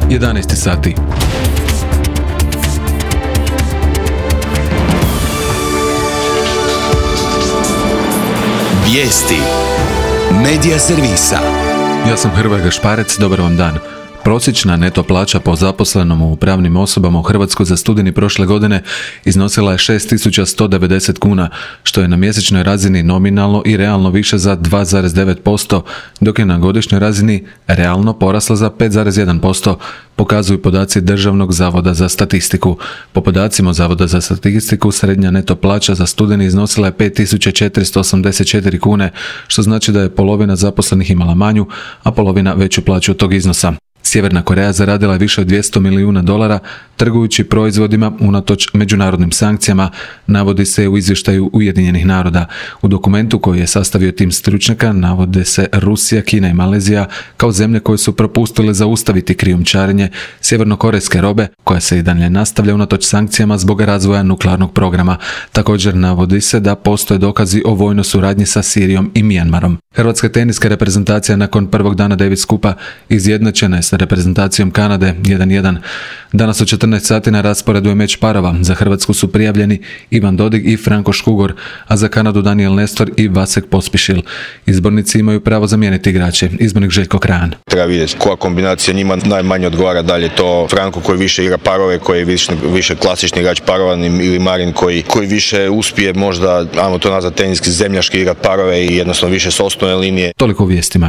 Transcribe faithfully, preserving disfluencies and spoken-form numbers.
jedanaest sati. Vijesti Medija servisa. Ja sam Hrvoje Gašparec, dobar vam dan. Prosječna neto plaća po zaposlenom u pravnim osobama u Hrvatskoj za studeni prošle godine iznosila je šest tisuća sto devedeset kuna, što je na mjesečnoj razini nominalno i realno više za dva zarez devet posto, dok je na godišnjoj razini realno porasla za pet zarez jedan posto, pokazuju podaci Državnog zavoda za statistiku. Po podacima Zavoda za statistiku, srednja neto plaća za studeni iznosila je pet tisuća četiristo osamdeset četiri kune, što znači da je polovina zaposlenih imala manju, a polovina veću plaću od tog iznosa. Sjeverna Koreja zaradila je više od dvjesto milijuna dolara trgujući proizvodima unatoč međunarodnim sankcijama, navodi se u izvještaju Ujedinjenih naroda. U dokumentu koji je sastavio tim stručnjaka navode se Rusija, Kina i Malezija kao zemlje koje su propustile zaustaviti krijumčarenje sjevernokorejske robe, koja se i dalje nastavlja unatoč sankcijama zbog razvoja nuklearnog programa. Također navodi se da postoje dokazi o vojnoj suradnji sa Sirijom i Mijanmarom. Hrvatska teniska reprezentacija nakon prvog dana Davis Cupa izjednačena je sa reprezentacijom Kanade jedan jedan. Danas u četrnaest sati na rasporedu je meč parova. Za Hrvatsku su prijavljeni Ivan Dodig i Franko Škugor, a za Kanadu Daniel Nestor i Vasek Pospišil. Izbornici imaju pravo zamijeniti igrače. Izbornik Željko Krajan. Treba vidjeti koja kombinacija njima najmanje odgovara, da li je to Franko koji više igra parove, koji je više, više klasični igrač parova, ili Marin koji, koji više uspije možda, ajmo to nazvati teniski zemljaški igra parove i jednostavno više s osnovne linije. Toliko u vijestima.